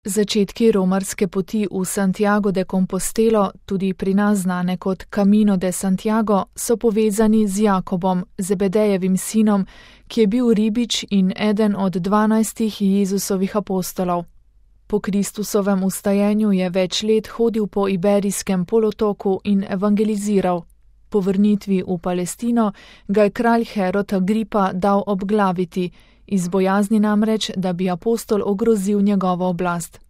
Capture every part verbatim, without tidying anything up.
Začetki romarske poti v Santiago de Compostelo, tudi pri nas znane kot Camino de Santiago, so povezani z Jakobom, Zebedejevim sinom, ki je bil ribič in eden od dvanajstih Jezusovih apostolov. Po Kristusovem vstajenju je več let hodil po Iberijskem polotoku in evangeliziral. Po vrnitvi v Palestino ga je kralj Herod Agripa dal obglaviti, iz bojazni namreč, da bi apostol ogrozil njegovo oblast.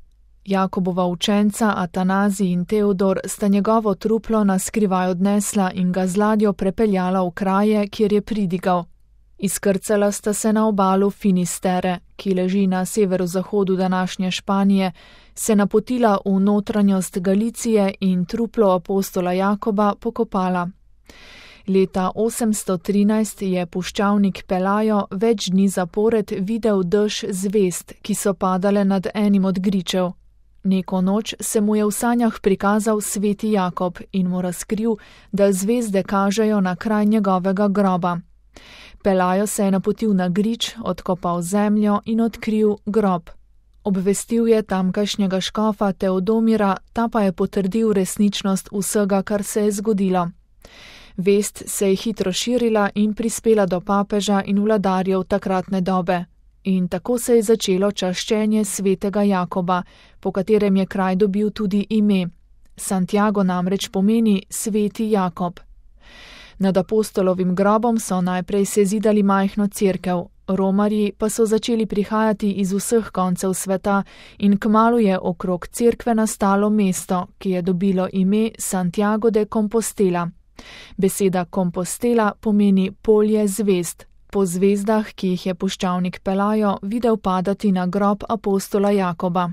Jakobova učenca Atanazij in Teodor sta njegovo truplo na skrivaj odnesla in ga z ladjo prepeljala v kraje, kjer je pridigal. Izkrcala sta se na obalu Finistere, ki leži na severozahodu današnje Španije, se napotila v notranjost Galicije in truplo apostola Jakoba pokopala. Leta osemsto trinajst je puščavnik Pelajo več dni zapored videl dež zvezd, ki so padale nad enim od gričev. Neko noč se mu je v sanjah prikazal sveti Jakob in mu razkril, da zvezde kažejo na kraj njegovega groba. Pelajo se je napotil na grič, odkopal zemljo in odkril grob. Obvestil je tamkajšnjega škofa Teodomira, ta pa je potrdil resničnost vsega, kar se je zgodilo. Vest se je hitro širila in prispela do papeža in vladarjev takratne dobe. In tako se je začelo čaščenje svetega Jakoba, po katerem je kraj dobil tudi ime. Santiago namreč pomeni sveti Jakob. Nad apostolovim grobom so najprej sezidali majhno cerkev, romarji pa so začeli prihajati iz vseh koncev sveta in kmalu je okrog cerkve nastalo mesto, ki je dobilo ime Santiago de Compostela. Beseda Compostela pomeni polje zvezd, po zvezdah, ki jih je puščavnik Pelajo videl padati na grob apostola Jakoba.